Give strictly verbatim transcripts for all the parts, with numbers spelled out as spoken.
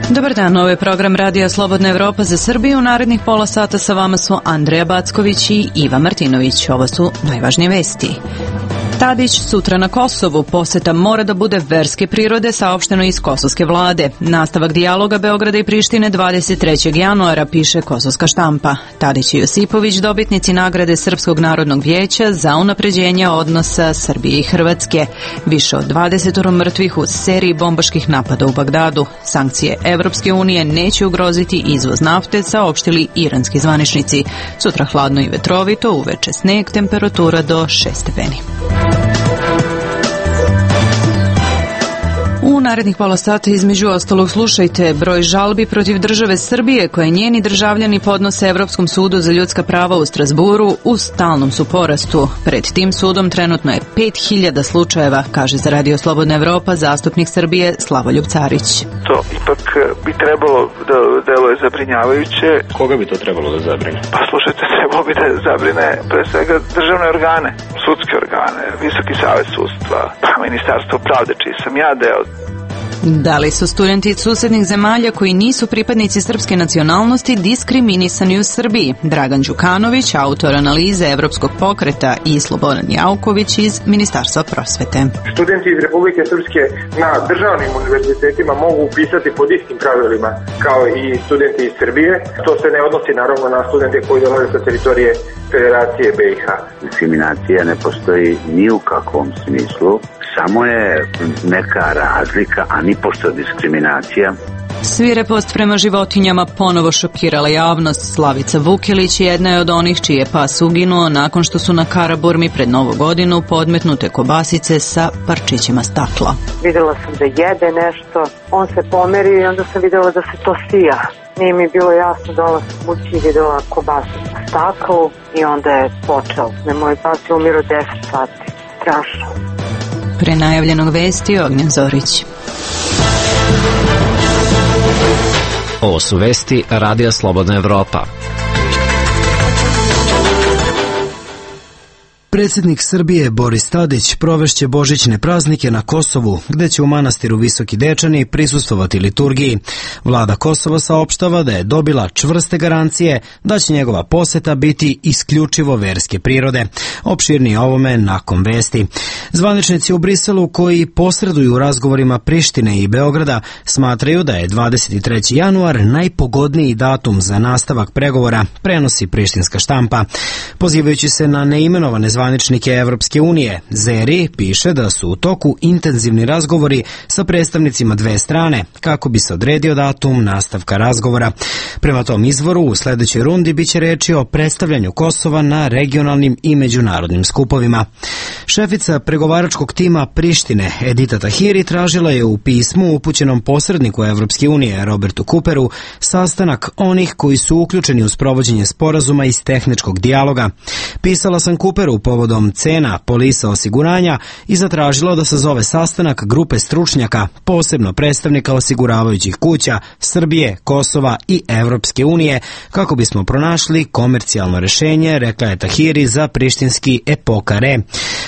Dobar dan, ovo je program Radija Slobodna Evropa za Srbiju. U narednih pola sata sa vama su Andreja Backović i Iva Martinović. Ovo su najvažnije vesti. Tadić sutra na Kosovu. Poseta mora da bude verske prirode, saopšteno iz kosovske vlade. Nastavak dijaloga Beograda i Prištine dvadeset trećeg januara, piše kosovska štampa. Tadić i Josipović dobitnici nagrade Srpskog narodnog vijeća za unapređenje odnosa Srbije i Hrvatske. Više od dvadeset mrtvih u seriji bombaških napada u Bagdadu. Sankcije Evropske unije neće ugroziti izvoz nafte, saopštili iranski zvaničnici. Sutra hladno i vetrovito, uveče sneg, temperatura do šest stepeni. U narednih pola sata između ostalog slušajte: broj žalbi protiv države Srbije koje njeni državljani podnose Evropskom sudu za ljudska prava u Strazburu u stalnom su porastu. Pred tim sudom trenutno je pet hiljada slučajeva, kaže za Radio Slobodna Evropa zastupnik Srbije Slavoljub Carić. To ipak bi trebalo da deluje zabrinjavajuće. Koga bi to trebalo da zabrine? Pa slušajte, trebalo bi da zabrine pre svega državne organe, sudske organe, Visoki savet sudstva, pa Ministarstvo pravde, čiji sam ja deo. Da li su studenti iz susednih zemalja koji nisu pripadnici srpske nacionalnosti diskriminisani u Srbiji? Dragan Đukanović, autor analize Evropskog pokreta, i Slobodan Jauković iz Ministarstva prosvete. Studenti iz Republike Srpske na državnim univerzitetima mogu upisati pod istim pravilima kao i studenti iz Srbije. To se ne odnosi naravno na studente koji dolaze sa teritorije Federacije B i H. Diskriminacija ne postoji ni u kakvom smislu. Samo je neka razlika, a ni pošto diskriminacija. Svirepost prema životinjama ponovo šokirala javnost. Slavica Vukilić jedna je od onih čiji je pas uginuo nakon što su na Karaburmi pred Novu godinu podmetnute kobasice sa parčićima stakla. Videla sam da jede nešto, on se pomerio i onda sam videla da se to sija. Nije mi bilo jasno, dola sam kući i videla kobasicu u staklu i onda je počeo. Ne, moj pas je umirao deset sati. Strašno. Pre najavljenog vesti Ognjen Zorić. Ovo su vesti Radija Slobodna Evropa. Predsjednik Srbije Boris Tadić provešće božićne praznike na Kosovu, gde će u manastiru Visoki Dečani prisustvovati liturgiji. Vlada Kosova saopštava da je dobila čvrste garancije da će njegova poseta biti isključivo verske prirode. Opširnije ovome nakon vesti. Zvaničnici u Briselu koji posreduju u razgovorima Prištine i Beograda smatraju da je dvadeset treći januar najpogodniji datum za nastavak pregovora, prenosi prištinska štampa. Pozivajući se na neimenovane zvaničnike Evropske unije, Zeri piše da su u toku intenzivni razgovori sa predstavnicima dve strane kako bi se odredio datum nastavka razgovora. Prema tom izvoru, u sledećoj rundi biće reči o predstavljanju Kosova na regionalnim i međunarodnim skupovima. Šefica pregovaračkog tima Prištine, Edita Tahiri, tražila je u pismu upućenom posredniku Evropske unije, Robertu Cooperu, sastanak onih koji su uključeni u sprovođenje sporazuma iz tehničkog dijaloga. Pisala sam Cooperu povodom cena polisa osiguranja i zatražila da sazove sastanak grupe stručnjaka, posebno predstavnika osiguravajućih kuća Srbije, Kosova i Evropske unije, kako bismo pronašli komercijalno rešenje, rekla je Tahiri za prištinski Epokare.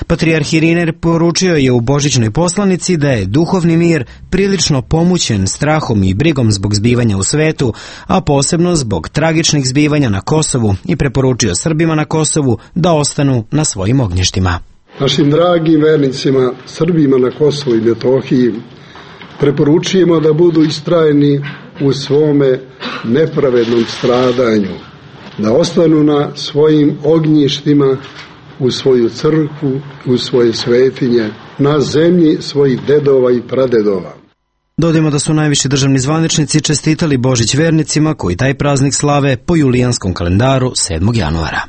Patrijarh Irinej poručio je u božićnoj poslanici da je duhovni mir prilično pomućen strahom i brigom zbog zbivanja u svetu, a posebno zbog tragičnih zbivanja na Kosovu, i preporučio Srbima na Kosovu da ostanu na svojim ognjištima. Našim dragim vernicima, Srbima na Kosovu i Metohiji, preporučujemo da budu istrajni u svome nepravednom stradanju, da ostanu na svojim ognjištima, u svoju crkvu, u svoje svetinje, na zemlji svojih dedova i pradedova. Dodajmo da su najviši državni zvaničnici čestitali Božić vernicima koji taj praznik slave po julijanskom kalendaru sedmog januara.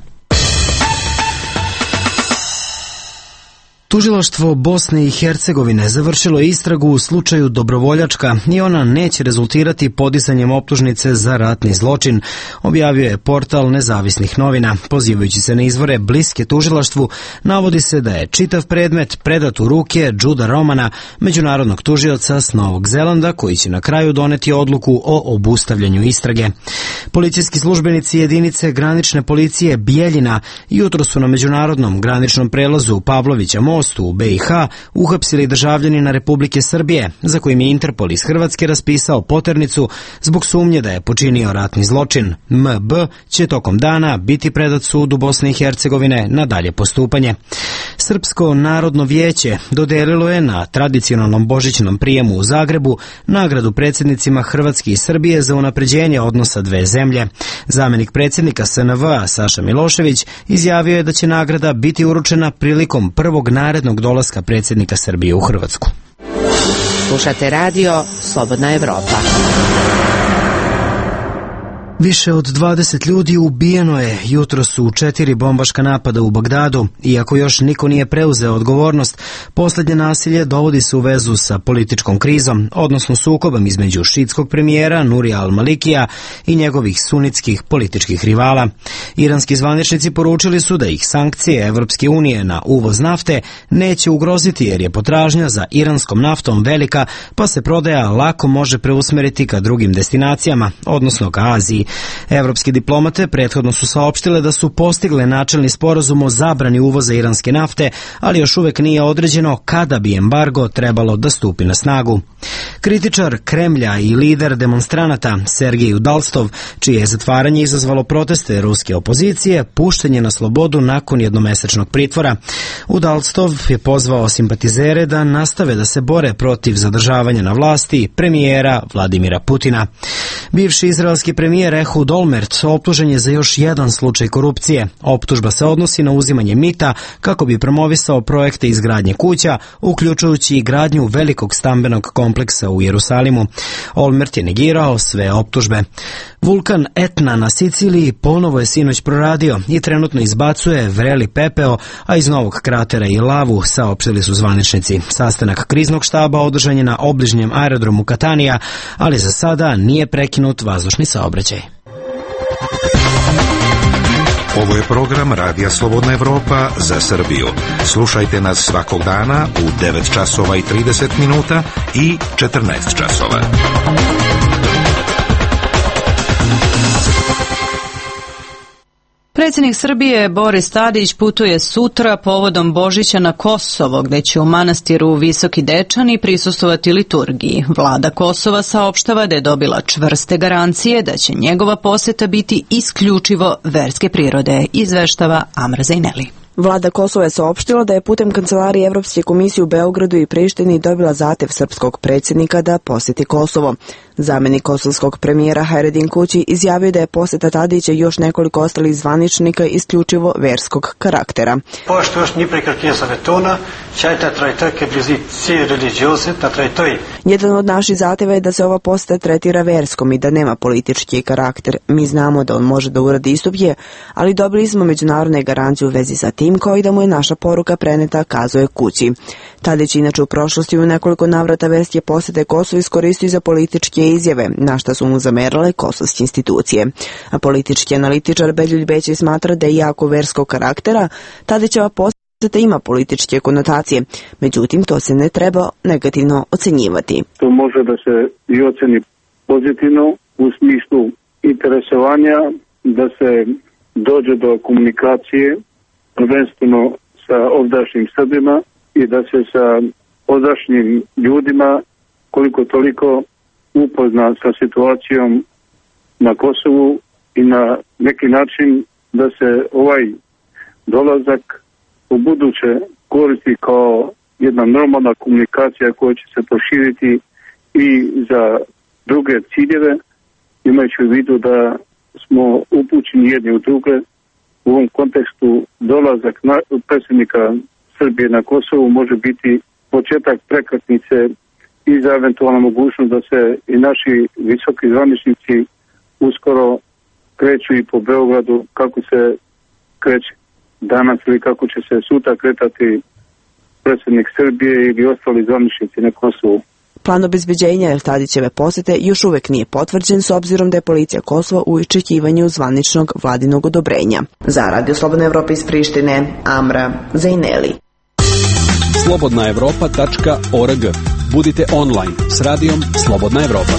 Tužilaštvo Bosne i Hercegovine završilo je istragu u slučaju Dobrovoljačka i ona neće rezultirati podizanjem optužnice za ratni zločin, objavio je portal Nezavisnih novina. Pozivajući se na izvore bliske tužilaštvu, navodi se da je čitav predmet predat u ruke Juda Romana, međunarodnog tužioca s Novog Zelanda, koji će na kraju doneti odluku o obustavljanju istrage. Policijski službenici jedinice granične policije Bijeljina jutro su na međunarodnom graničnom prelazu Pavlovića Most mostu u B i H uhapsili državljanina Republike Srbije, za kojim je Interpol iz Hrvatske raspisao poternicu zbog sumnje da je počinio ratni zločin. M B će tokom dana biti predat sudu Bosne i Hercegovine na dalje postupanje. Srpsko narodno vijeće dodelilo je na tradicionalnom božićnom prijemu u Zagrebu nagradu predsjednicima Hrvatske i Srbije za unapređenje odnosa dve zemlje. Zamenik predsjednika S N V-a Saša Milošević izjavio je da će nagrada biti uručena prilikom prvog narednog dolaska predsjednika Srbije u Hrvatsku. Slušate radio Slobodna Evropa. Više od dvadeset ljudi ubijeno je jutros u četiri bombaška napada u Bagdadu. Iako još niko nije preuzeo odgovornost, posljednje nasilje dovodi se u vezu sa političkom krizom, odnosno sukobom između šiitskog premijera Nurija al-Malikija i njegovih sunitskih političkih rivala. Iranski zvaničnici poručili su da ih sankcije Evropske unije na uvoz nafte neće ugroziti jer je potražnja za iranskom naftom velika, pa se prodaja lako može preusmeriti ka drugim destinacijama, odnosno ka Aziji. Evropske diplomate prethodno su saopštile da su postigle načelni sporazum o zabrani uvoza iranske nafte, ali još uvek nije određeno kada bi embargo trebalo da stupi na snagu. Kritičar Kremlja i lider demonstranata Sergej Udalstov, čije je zatvaranje izazvalo proteste ruske opozicije, pušten je na slobodu nakon jednomesečnog pritvora. Udalstov je pozvao simpatizere da nastave da se bore protiv zadržavanja na vlasti premijera Vladimira Putina. Bivši izraelski premijer Ehud Olmert optužen je za još jedan slučaj korupcije. Optužba se odnosi na uzimanje mita kako bi promovisao projekte izgradnje kuća, uključujući i gradnju velikog stambenog kompleksa u Jerusalimu. Olmert je negirao sve optužbe. Vulkan Etna na Siciliji ponovo je sinoć proradio i trenutno izbacuje vreli pepeo, a iz novog kratera i lavu, saopštili su zvaničnici. Sastanak kriznog štaba održan je na obližnjem aerodromu Katanija, ali za sada nije prekinut vazdušni saobraćaj. Ovo je program Radija Slobodna Evropa za Srbiju. Slušajte nas svakog dana u devet časova i trideset minuta i četrnaest časova. Predsjednik Srbije Boris Tadić putuje sutra povodom Božića na Kosovo, gde će u manastiru Visoki Dečani prisustvovati liturgiji. Vlada Kosova saopštava da je dobila čvrste garancije da će njegova poseta biti isključivo verske prirode, izveštava Amra Zajneli. Vlada Kosova je saopštila da je putem Kancelarije Evropske komisije u Beogradu i Prištini dobila zahtev srpskog predsjednika da posjeti Kosovo. Zamenik kosovskog premijera Hajredin Kući izjavio da je posjeta Tadića i još nekoliko ostalih zvaničnika isključivo verskog karaktera. Pošto još ni prekratnije zavetona, čajta trajtake blizi cije religioze na trajtoj. Jedan od naših zahteva je da se ova posjeta tretira verskom i da nema politički karakter. Mi znamo da on može da uradi istupje, ali dobili smo međunarodne garancije u vezi sa tim, kao i da mu je naša poruka preneta, kazuje Kući. Tadić inače u prošlosti u nekoliko navrata verske posjete Kosovo iskoristio za političke izjave, na šta su mu zamerale kosovske institucije. A politički analitičar Beljulj Bećej smatra da je jako verskog karaktera, Tadićeva posjeta ima političke konotacije, međutim to se ne treba negativno ocenjivati. To može da se i oceni pozitivno u smislu interesovanja da se dođe do komunikacije prvenstveno sa ovdašnjim Srbima i da se sa ovdašnjim ljudima koliko toliko upozna sa situacijom na Kosovu i na neki način da se ovaj dolazak u buduće koristi kao jedna normalna komunikacija koja će se proširiti i za druge ciljeve, imajući u vidu da smo upućeni jedni u druge. U ovom kontekstu dolazak na, predsjednika Srbije na Kosovu može biti početak prekretnice i za eventualnu mogućnost da se i naši visoki zvaničnici uskoro kreću i po Beogradu kako se kreće danas ili kako će se sutra kretati predsjednik Srbije ili ostali zvaničnici na Kosovu. Plan obezbeđenja Tadićeve posjete još uvek nije potvrđen s obzirom da je policija Kosova u iščekivanju zvaničnog vladinog odobrenja. Za Radio Slobodna Evropa iz Prištine, Amra Zajneli. slobodna evropa tačka org. Budite online s radijom Slobodna Evropa.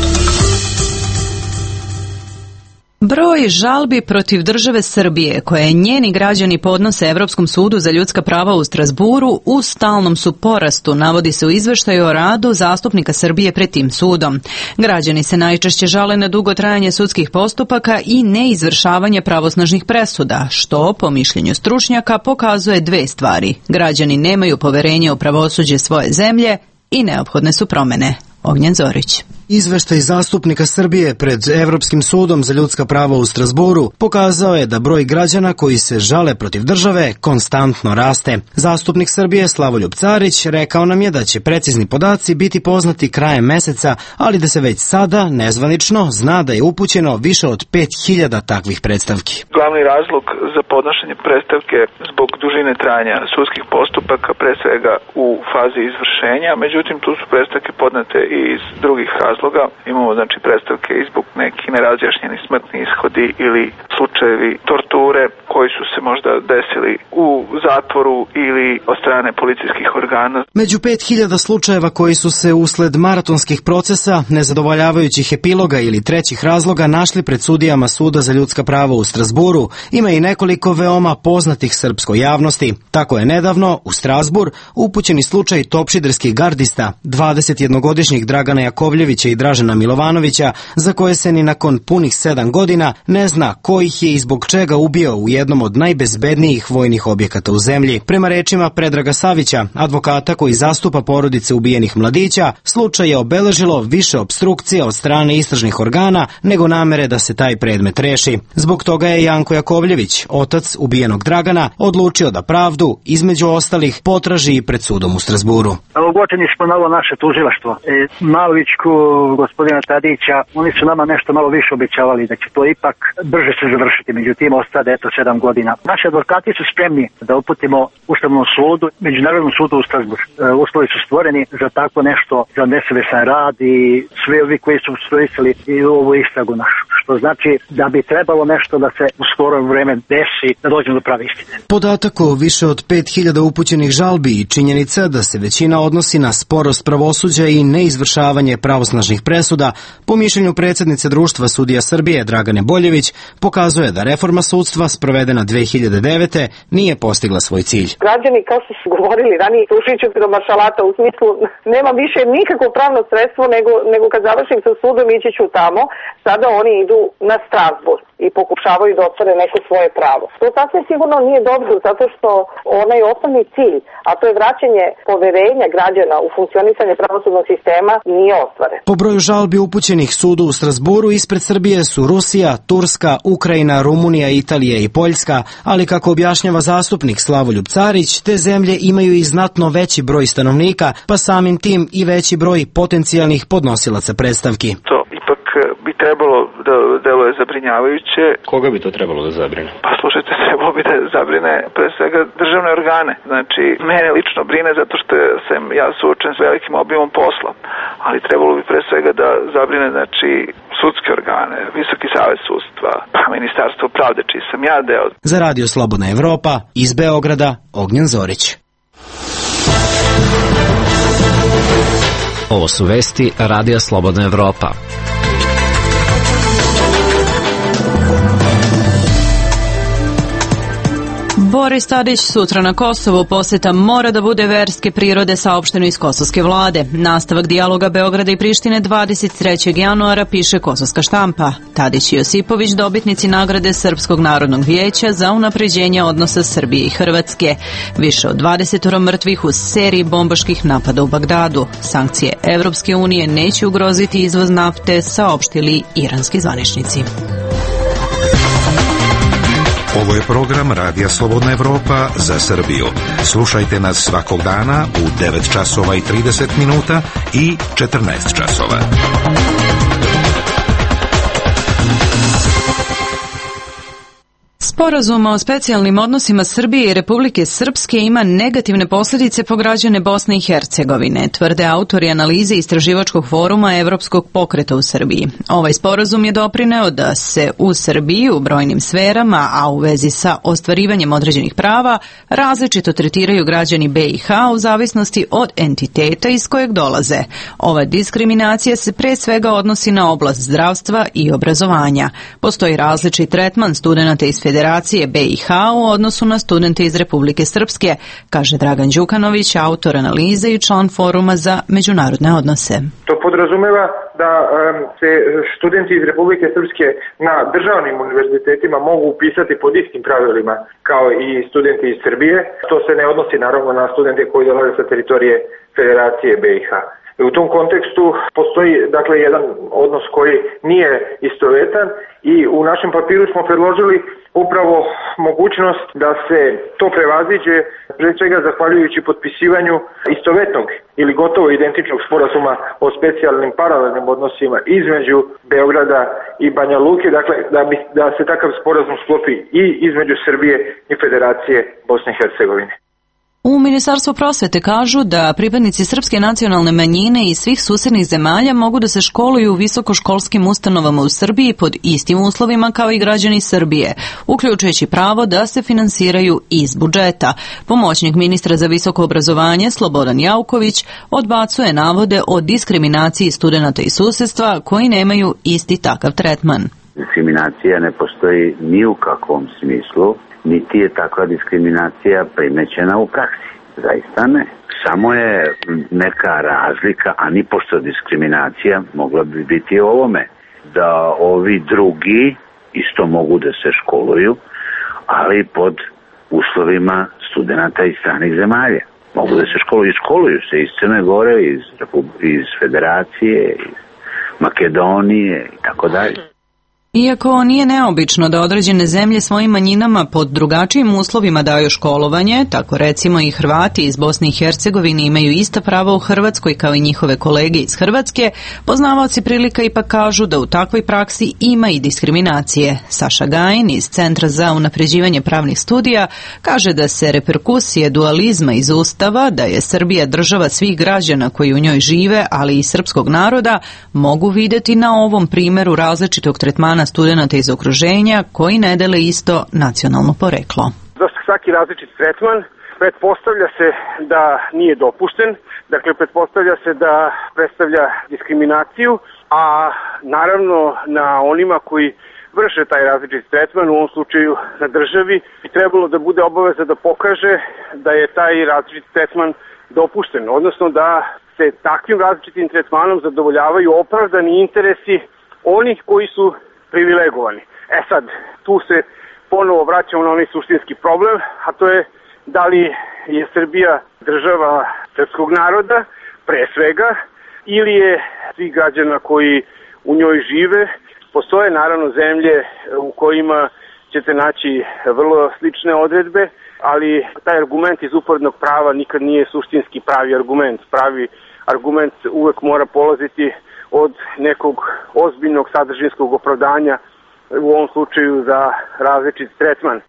Broj žalbi protiv države Srbije koje njeni građani podnose Evropskom sudu za ljudska prava u Strazburu u stalnom su porastu, navodi se u izveštaju o radu zastupnika Srbije pred tim sudom. Građani se najčešće žale na dugo trajanje sudskih postupaka i neizvršavanje pravosnažnih presuda, što, po mišljenju stručnjaka, pokazuje dve stvari. Građani nemaju poverenje u pravosuđe svoje zemlje i neophodne su promene. Ognjen Zorić. Izveštaj zastupnika Srbije pred Evropskim sudom za ljudska prava u Strazburu pokazao je da broj građana koji se žale protiv države konstantno raste. Zastupnik Srbije Slavoljub Carić rekao nam je da će precizni podaci biti poznati krajem meseca, ali da se već sada nezvanično zna da je upućeno više od pet hiljada takvih predstavki. Glavni razlog za podnošenje predstavke zbog dužine trajanja sudskih postupaka, pre svega u fazi izvršenja, međutim tu su predstavke podnete i iz drugih razloga. Imamo znači predstavke i zbog neki nerazjašnjeni smrtni ishodi ili slučajevi torture koji su se možda desili u zatvoru ili od strane policijskih organa. Među pet hiljada slučajeva koji su se usled maratonskih procesa, nezadovoljavajućih epiloga ili trećih razloga našli pred sudijama Suda za ljudska prava u Strazburu, ima i nekoliko veoma poznatih srpskoj javnosti. Tako je nedavno u Strazbur upućeni slučaj topšiderskih gardista, dvadesetjednogodišnjih Dragana Jakovljevića i Dražena Milovanovića, za koje se ni nakon punih sedam godina ne zna ko ih je i zbog čega ubio u jednom od najbezbednijih vojnih objekata u zemlji. Prema rečima Predraga Savića, advokata koji zastupa porodice ubijenih mladića, slučaj je obeležilo više opstrukcija od strane istražnih organa nego namere da se taj predmet reši. Zbog toga je Janko Jakovljević, otac ubijenog Dragana, odlučio da pravdu, između ostalih, potraži i pred sudom u Strazburu. Ogorčeni smo na ovo naše tužilaštvo. E, Malovićku, gospodina Tadića, oni su nama nešto malo više obećavali da će to ipak brže se završiti, međutim ostade eto sedam godina. Naši advokati su spremni da uputimo Ustavnom sudu, Međunarodnom sudu u Strazbur. E, uslovi su stvoreni za tako nešto, za nesavesan rad i svi ovi koji su obstruisali i ovu istragu našu. Što znači da bi trebalo nešto da se u skoro vreme desi, da dođemo do prave istine. Podatak o više od pet hiljada upućenih žalbi i činjenica da se većina odnosi na sporost pravosuđa i neizvršavanje pravosnažnih presuda, po mišljenju predsjednice Društva sudija Srbije Dragane Boljević, pokazuje da reforma sudstva sprovedena dve hiljade devete. nije postigla svoj cilj. Građani, kao što su govorili ranije, slušajući do maršalata, u smislu nema više nikakvo pravno sredstvo nego, nego kad završim sa sudom ići ću tamo, sada oni idu na Strazbur i pokušavaju da ostvare neko svoje pravo. To sasvim sigurno nije dobro, zato što onaj osnovni cilj, a to je vraćanje poverenja građana u funkcionisanje pravosudnog sistema, nije ostvaren. Po broju žalbi upućenih sudu u Strazburu ispred Srbije su Rusija, Turska, Ukrajina, Rumunija, Italija i Poljska, ali kako objašnjava zastupnik Slavoljub Carić, te zemlje imaju i znatno veći broj stanovnika, pa samim tim i veći broj potencijalnih podnosilaca predstavki. To ipak bi trebalo da deluje zabrinjavajuće. Koga bi to trebalo da zabrine? Pa slušajte, trebalo bi da zabrine pre svega državne organe. Znači, mene lično brine zato što sam ja suočen s velikim obimom posla, ali trebalo bi pre svega da zabrine znači sudske organe, Visoki savet sudstva, pa Ministarstvo pravde, čiji sam ja deo. Za Radio Slobodna Evropa, iz Beograda, Ognjen Zorić. Ovo su vesti Radija Slobodna Evropa. Boris Tadić sutra na Kosovu, poseta mora da bude verske prirode, saopšteno iz kosovske vlade. Nastavak dijaloga Beograda i Prištine dvadeset trećeg januara, piše kosovska štampa. Tadić i Josipović dobitnici nagrade Srpskog narodnog vijeća za unapređenje odnosa Srbije i Hrvatske. Više od dvadeset mrtvih u seriji bombaških napada u Bagdadu. Sankcije Evropske unije neće ugroziti izvoz nafte, saopštili iranski zvaničnici. Ovo je program Radija Slobodna Evropa za Srbiju. Slušajte nas svakog dana u devet časova i trideset minuta i četrnaest časova. Sporazum o specijalnim odnosima Srbije i Republike Srpske ima negativne posljedice po građane Bosne i Hercegovine, tvrde autori analize istraživačkog foruma Evropskog pokreta u Srbiji. Ovaj sporazum je doprineo da se u Srbiji u brojnim sferama, a u vezi sa ostvarivanjem određenih prava, različito tretiraju građani B i H u zavisnosti od entiteta iz kojeg dolaze. Ova diskriminacija se pre svega odnosi na oblast zdravstva i obrazovanja. Postoji različit tretman studenata iz Federacije B i H u odnosu na studente iz Republike Srpske, kaže Dragan Đukanović, autor analize i član foruma za međunarodne odnose. To podrazumeva da um, se studenti iz Republike Srpske na državnim univerzitetima mogu upisati pod istim pravilima kao i studenti iz Srbije. To se ne odnosi naravno na studente koji dolaze sa teritorije Federacije B i H. U tom kontekstu postoji dakle jedan odnos koji nije istovetan i u našem papiru smo predložili upravo mogućnost da se to prevaziđe, pre svega zahvaljujući potpisivanju istovetnog ili gotovo identičnog sporazuma o specijalnim paralelnim odnosima između Beograda i Banja Luke, dakle da, bi, da se takav sporazum sklopi i između Srbije i Federacije Bosne i Hercegovine. U Ministarstvu prosvete kažu da pripadnici srpske nacionalne manjine iz svih susednih zemalja mogu da se školuju u visokoškolskim ustanovama u Srbiji pod istim uslovima kao i građani Srbije, uključujući pravo da se finansiraju iz budžeta. Pomoćnik ministra za visoko obrazovanje Slobodan Jauković odbacuje navode o diskriminaciji studenata iz susedstva koji nemaju isti takav tretman. Diskriminacija ne postoji ni u kakvom smislu, niti je takva diskriminacija primećena u praksi. Zaista ne. Samo je neka razlika, a ni pošto diskriminacija mogla bi biti ovome, da ovi drugi isto mogu da se školuju, ali pod uslovima studenta iz stranih zemalja. Mogu da se školuju i školuju se iz Crne Gore, iz, iz Federacije, iz Makedonije i tako dalje. Iako nije neobično da određene zemlje svojim manjinama pod drugačijim uslovima daju školovanje, tako recimo i Hrvati iz Bosne i Hercegovine imaju ista prava u Hrvatskoj kao i njihove kolege iz Hrvatske, poznavaoci prilika ipak kažu da u takvoj praksi ima i diskriminacije. Saša Gajin iz Centra za unapređivanje pravnih studija kaže da se reperkusije dualizma iz Ustava, da je Srbija država svih građana koji u njoj žive, ali i srpskog naroda, mogu vidjeti na ovom primjeru različitog tretmana studenata iz okruženja koji ne dele isto nacionalno poreklo. Za svaki različit tretman pretpostavlja se da nije dopušten, dakle pretpostavlja se da predstavlja diskriminaciju, a naravno na onima koji vrše taj različit tretman, u ovom slučaju na državi, bi trebalo da bude obaveza da pokaže da je taj različit tretman dopušten, odnosno da se takvim različitim tretmanom zadovoljavaju opravdani interesi onih koji su privilegovani. E sad, tu se ponovo vraćamo na onaj suštinski problem, a to je da li je Srbija država srpskog naroda, pre svega, ili je svih građana koji u njoj žive. Postoje naravno zemlje u kojima ćete naći vrlo slične odredbe, ali taj argument iz uporednog prava nikad nije suštinski pravi argument. Pravi argument uvek mora polaziti od nekog ozbiljnog sadržinskog opravdanja, u ovom slučaju za različit tretman.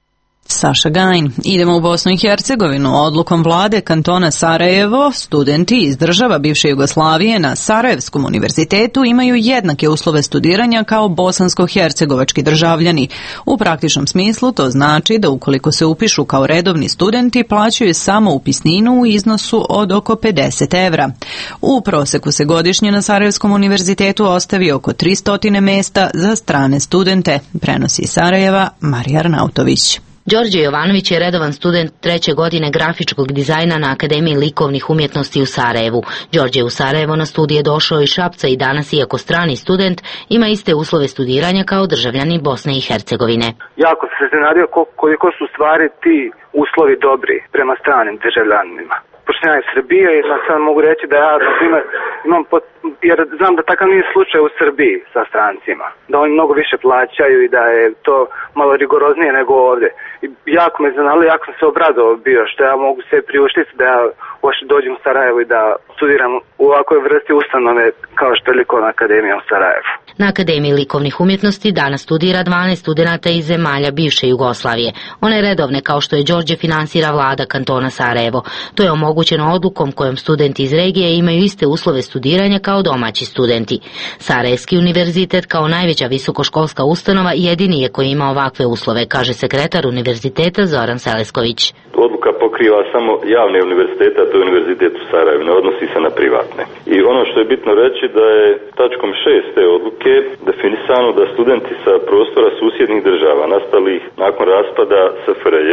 Saša Gajin. Idemo u Bosnu i Hercegovinu. Odlukom vlade kantona Sarajevo, studenti iz država bivše Jugoslavije na Sarajevskom univerzitetu imaju jednake uslove studiranja kao bosansko-hercegovački državljani. U praktičnom smislu to znači da ukoliko se upišu kao redovni studenti plaćaju samo upisninu u iznosu od oko pedeset evra. U proseku se godišnje na Sarajevskom univerzitetu ostavi oko tristo mesta za strane studente, prenosi iz Sarajeva Marija Arnautović. Đorđe Jovanović je redovan student treće godine grafičkog dizajna na Akademiji likovnih umjetnosti u Sarajevu. Đorđe je u Sarajevo na studije došao iz Šapca i danas, iako strani student, ima iste uslove studiranja kao državljani Bosne i Hercegovine. Jako se iznenadio koliko su stvari ti uslovi dobri prema stranim državljanima. Pošto ja iz Srbije i sad mogu reći da ja, na primjer, imam, pot, jer znam da takav nije slučaj u Srbiji sa strancima. Da oni mnogo više plaćaju i da je to malo rigoroznije nego ovdje. I jako me zanalo, jako sam se obradovao bio što ja mogu se priuštiti da ja uopšte dođem u Sarajevo i da studiram u ovakvoj vrsti ustanove kao što je Likovna akademija u Sarajevu. Na Akademiji likovnih umjetnosti danas studira dvanaest studenata iz zemalja bivše Jugoslavije. One redovne, kao što je Đorđe, finansira vlada kantona Sarajevo. To je omogućeno odlukom kojom studenti iz regije imaju iste uslove studiranja kao domaći studenti. Sarajevski univerzitet kao najveća visokoškolska ustanova jedini je koji ima ovakve uslove, kaže sekretar univerziteta Zoran Selesković. Odluka pokriva samo javne univerzitete, a to je univerzitet u Sarajevu, ne odnosi se na privatne. I ono što je bitno reći da je tačkom šest te odluke definisano da studenti sa prostora susjednih država nastalih nakon raspada S F R J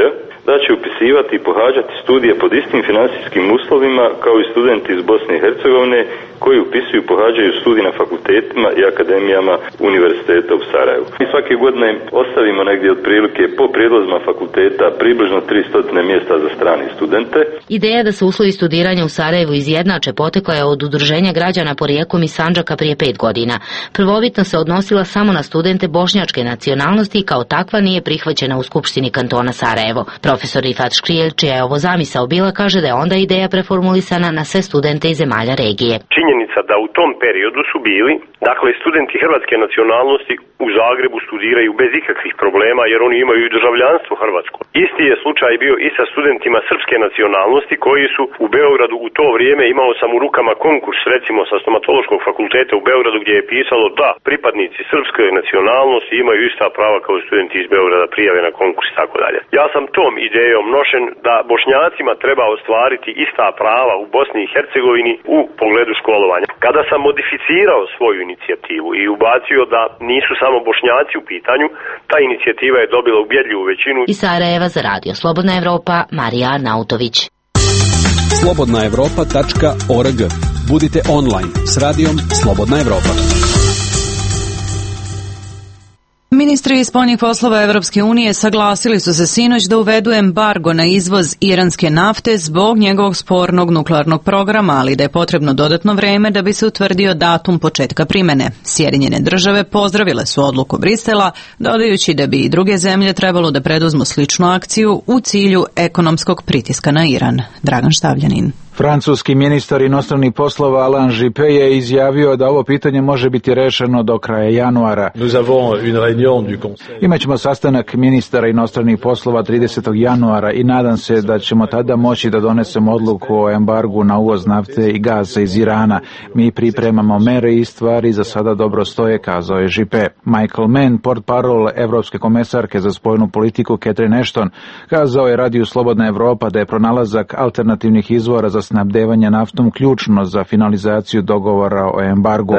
da će upisivati i pohađati studije pod istim financijskim uslovima kao i studenti iz Bosne i Hercegovine koji upisuju i pohađaju studije na fakultetima i akademijama univerziteta u Sarajevu. I svake godine ostavimo negdje otprilike po prijedlozima fakulteta približno tristo mjesta za strane studente. Ideja da se uslovi studiranja u Sarajevu izjednače potekla je od udruženja građana porijeklom iz Sandžaka prije pet godina. Prvobitno se odnosila samo na studente bošnjačke nacionalnosti i kao takva nije prihvaćena u Skupštini kantona Sarajevo. Profesor Rifat Škrijelj, čija je ovo zamisao bila, kaže da je onda ideja preformulisana na sve studente iz zemalja regije. Činjenica da u tom periodu su bili, dakle, studenti hrvatske nacionalnosti u Zagrebu studiraju bez ikakvih problema jer oni imaju i državljanstvo hrvatsko. Isti je slučaj bio i sa studentima srpske nacionalnosti koji su u Beogradu u to vrijeme, imao sam u rukama konkurs recimo sa stomatološkog fakulteta u Beogradu gdje je pisalo da pripadnici srpske nacionalnosti imaju ista prava kao studenti iz Beograda, prijave na konkurs i tako dalje. Ja sam tom idejom nošen da Bošnjacima treba ostvariti ista prava u Bosni i Hercegovini u pogledu školovanja. Kada sam modificirao svoju inicijativu i ubacio da nisu samo Bošnjaci u pitanju, ta inicijativa je dobila ubjedljivu većinu. Iz Sarajeva za Radio Slobodna Evropa, Marija Arnautović. slobodna evropa tačka org. Budite online s radijom Slobodna Evropa. Ministri spoljnih poslova Evropske unije saglasili su se sinoć da uvedu embargo na izvoz iranske nafte zbog njegovog spornog nuklearnog programa, ali da je potrebno dodatno vreme da bi se utvrdio datum početka primene. Sjedinjene države pozdravile su odluku Brisela, dodajući da bi i druge zemlje trebalo da preduzmu sličnu akciju u cilju ekonomskog pritiska na Iran. Dragan Štavljanin. Francuski ministar inostranih poslova Alain Juppé je izjavio da ovo pitanje može biti rešeno do kraja januara. Imaćemo sastanak ministara inostranih poslova tridesetog januara i nadam se da ćemo tada moći da donesemo odluku o embargu na uvoz nafte i gaza iz Irana. Mi pripremamo mere i stvari za sada dobro stoje, kazao je Juppé. Michael Mann, portparol Evropske komesarke za spoljnu politiku Catherine Ashton, kazao je Radiju Slobodna Evropa da je pronalazak alternativnih izvora za snabdevanje naftom ključno za finalizaciju dogovora o embargu.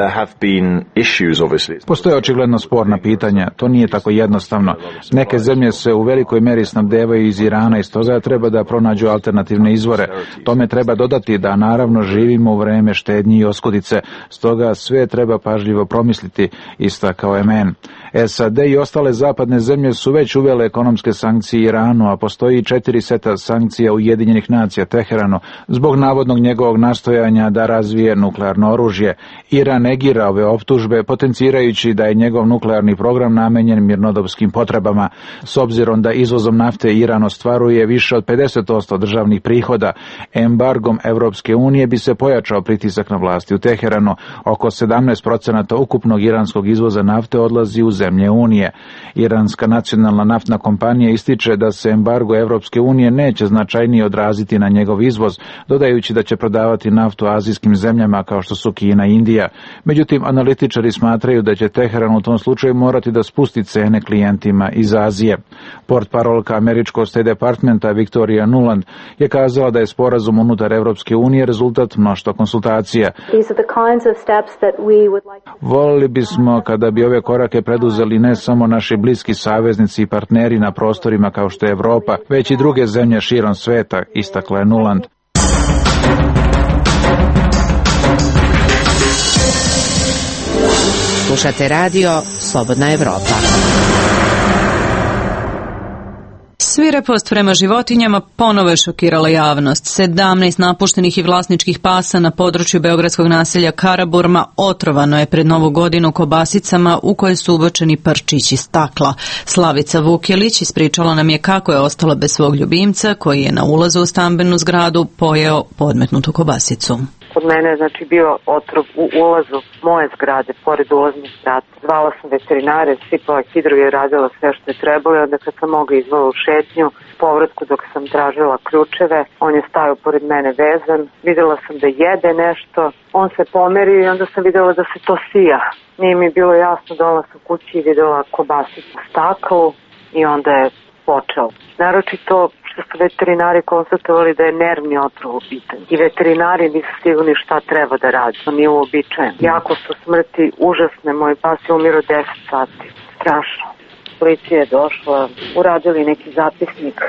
Postoje očigledno sporna pitanja, to nije tako jednostavno. Neke zemlje se u velikoj meri snabdevaju iz Irana i stoga treba da pronađu alternativne izvore. Tome treba dodati da naravno živimo u vreme štednji i oskudice, stoga sve treba pažljivo promisliti, istakao je Mann. S A D i ostale zapadne zemlje su već uvele ekonomske sankcije Iranu, a postoji četiri seta sankcija Ujedinjenih nacija Teheranu zbog navodnog njegovog nastojanja da razvije nuklearno oružje. Iran negira ove optužbe, potencirajući da je njegov nuklearni program namenjen mirnodopskim potrebama. S obzirom da izvozom nafte Iran ostvaruje više od pedeset posto državnih prihoda, embargom Evropske unije bi se pojačao pritisak na vlasti u Teheranu. Oko sedamnaest procenata ukupnog iranskog izvoza nafte odlazi u zemlje Unije. Iranska nacionalna naftna kompanija ističe da se embargo Evropske unije neće značajnije odraziti na njegov izvoz, dodajući da će prodavati naftu azijskim zemljama kao što su Kina i Indija. Međutim, analitičari smatraju da će Teheran u tom slučaju morati da spusti cene klijentima iz Azije. Portparolka američkog State Departmenta Victoria Nuland je kazala da je sporazum unutar Evropske unije rezultat mnoštva konsultacija. Volili bismo kada bi ove korake preduzeli ne samo naši bliski saveznici i partneri na prostorima kao što je Evropa, već i druge zemlje širom sveta, istakla je Nuland. Slušate radio Slobodna Evropa. Svirepost prema životinjama ponovo je šokirala javnost. sedamnaest napuštenih i vlasničkih pasa na području beogradskog naselja Karaburma otrovano je pred Novu godinu kobasicama u koje su ubačeni prčići stakla. Slavica Vukjelić ispričala nam je kako je ostala bez svog ljubimca koji je na ulazu u stambenu zgradu pojeo podmetnutu kobasicu. Kod mene je znači bio otrov u ulazu moje zgrade, pored ulaznih vrata. Zvala sam veterinare, sipala hidrovi, radila sve što je trebalo, onda kad sam mogla izvala u šetnju, povratku dok sam tražila ključeve, on je stajao pored mene vezan, videla sam da jede nešto, on se pomerio i onda sam videla da se to sija. Nije mi bilo jasno, dola sam kući i videla kobasicu u staklu i onda je počeo. Naročito što su veterinari konstatovali da je nervni otrov u pitanju. I veterinari nisu sigurni šta treba da radi. To nije uobičajeno. Jako su smrti užasne. Moj pas je umirao deset sati. Strašno. Policija je došla, uradili neki zapisnik.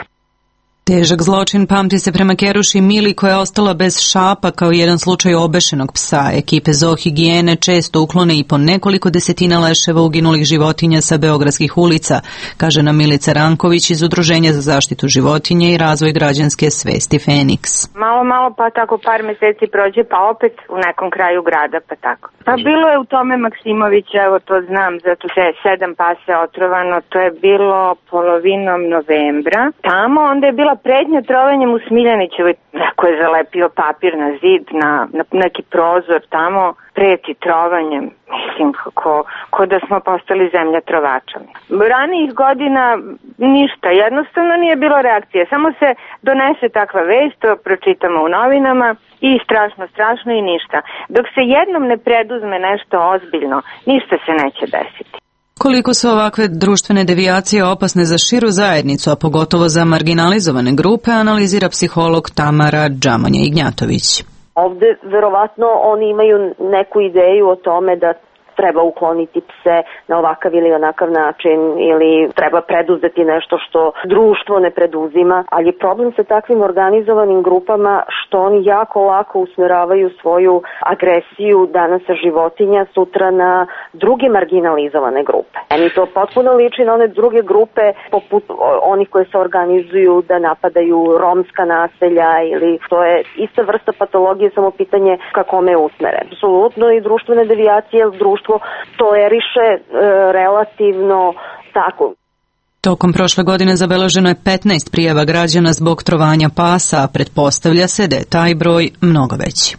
Težak zločin pamti se prema Keruši Mili koja je ostala bez šapa kao jedan slučaj obešenog psa. Ekipe zoohigijene često uklone i po nekoliko desetina leševa uginulih životinja sa beogradskih ulica, kaže nam Milica Ranković iz Udruženja za zaštitu životinja i razvoj građanske svesti Feniks. Malo, malo pa tako par meseci prođe pa opet u nekom kraju grada pa tako. Pa bilo je u tome Maksimović, evo to znam, zato se je sedam pasa otrovano, to je bilo polovinom novembra. Tamo onda je bila prednja trovanjem u Smiljanićevoj, neko je zalepio papir na zid, na, na neki prozor tamo, preti trovanjem, mislim kako, ko da smo postali zemlja trovačama. Ranijih godina ništa, jednostavno nije bilo reakcije, samo se donese takva vest, to pročitamo u novinama i strašno, strašno i ništa. Dok se jednom ne preduzme nešto ozbiljno, ništa se neće desiti. Koliko su ovakve društvene devijacije opasne za širu zajednicu, a pogotovo za marginalizovane grupe, analizira psiholog Tamara Džamonja-Ignjatović. Ovde verovatno oni imaju neku ideju o tome da treba ukloniti pse na ovakav ili onakav način ili treba preduzeti nešto što društvo ne preduzima, ali je problem sa takvim organizovanim grupama što oni jako lako usmeravaju svoju agresiju danas sa životinja, sutra na druge marginalizovane grupe. Meni to potpuno liči na one druge grupe poput onih koje se organizuju da napadaju romska naselja ili to je ista vrsta patologije, samo pitanje ka kome je usmeren. Apsolutno i društvene devijacije, društvo toleriše e, relativno tako. Tokom prošle godine zabeleženo je petnaest prijava građana zbog trovanja pasa, a pretpostavlja se da je taj broj mnogo veći.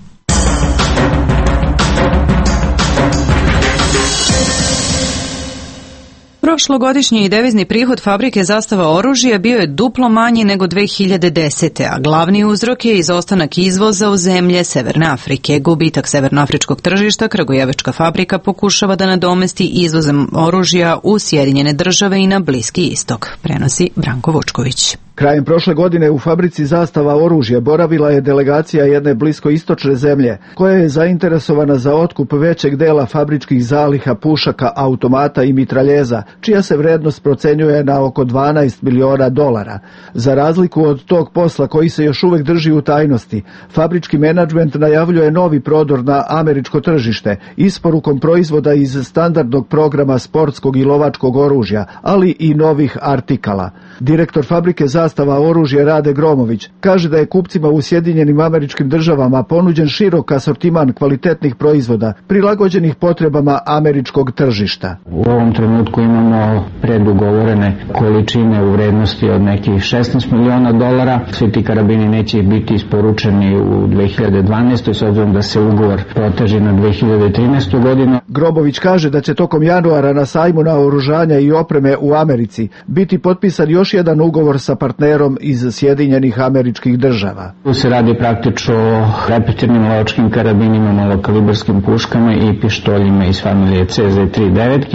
Prošlogodišnji devizni prihod fabrike Zastava oružja bio je duplo manji nego dve hiljade desete. a glavni uzrok je izostanak izvoza u zemlje Severne Afrike. Gubitak severnoafričkog tržišta Kragujevačka fabrika pokušava da nadomesti izvozom oružja u Sjedinjene države i na Bliski istok, prenosi Branko Vučković. Krajem prošle godine u fabrici Zastava oružja boravila je delegacija jedne bliskoistočne zemlje, koja je zainteresovana za otkup većeg dela fabričkih zaliha pušaka, automata i mitraljeza, čija se vrednost procenjuje na oko dvanaest miliona dolara. Za razliku od tog posla koji se još uvek drži u tajnosti, fabrički menadžment najavljuje novi prodor na američko tržište, isporukom proizvoda iz standardnog programa sportskog i lovačkog oružja, ali i novih artikala. Direktor fabrike Zastava oružja Rade Gromović kaže da je kupcima u Sjedinjenim Američkim Državama ponuđen širok asortiman kvalitetnih proizvoda prilagođenih potrebama američkog tržišta. U ovom trenutku imamo predugovorene količine u vrednosti od nekih šesnaest miliona dolara. Svi ti karabini neće biti isporučeni u dve hiljade dvanaestoj. s obzirom da se ugovor proteže na dve hiljade trinaestu. godinu. Grobović kaže da će tokom januara na sajmu naoružanja i opreme u Americi biti potpisan još jedan ugovor sa partnerom iz Sjedinjenih Američkih Država. Tu se radi praktično o repetirnim lovačkim karabinima, malokalibarskim puškama i pištoljima iz familije C Z trideset devet.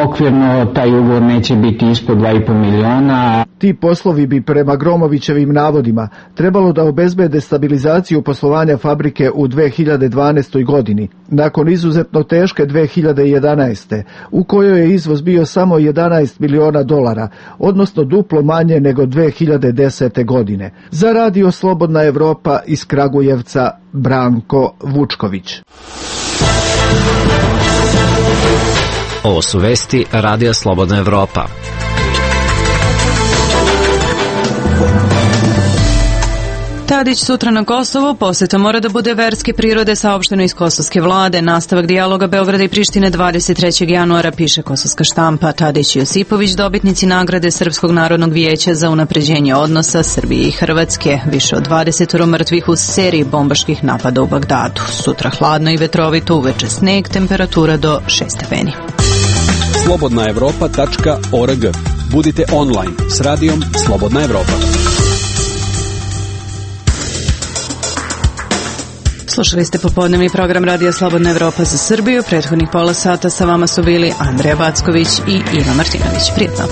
Okvirno taj ugovor neće biti ispod dva i po miliona. Ti poslovi bi prema Gromovićevim navodima trebalo da obezbede stabilizaciju poslovanja fabrike u dve hiljade dvanaestoj. godini, nakon izuzetno teške dve hiljade jedanaeste. u kojoj je izvoz bio samo jedanaest miliona dolara, odnosno duplo manje nego dve hiljade desete. godine. Za Radio Slobodna Evropa iz Kragujevca, Branko Vučković. Ovo su vesti Radija Slobodna Evropa. Tadić sutra na Kosovu, poseta mora da bude verske prirode, saopšteno iz kosovske vlade. Nastavak dijaloga Beograda i Prištine dvadeset trećeg januara, piše kosovska štampa. Tadić i Josipović dobitnici nagrade Srpskog narodnog vijeća za unapređenje odnosa Srbije i Hrvatske. Više od dvadeset mrtvih u seriji bombaških napada u Bagdadu. Sutra hladno i vetrovito, uveče sneg, temperatura do šest stepeni. slobodna evropa tačka org. Budite online s radijom Slobodna Evropa. Slušali ste popodnevni program Radija Slobodna Evropa za Srbiju. Prethodnih pola sata sa vama su bili Andreja Backović i Iva Martinović. Prijetno.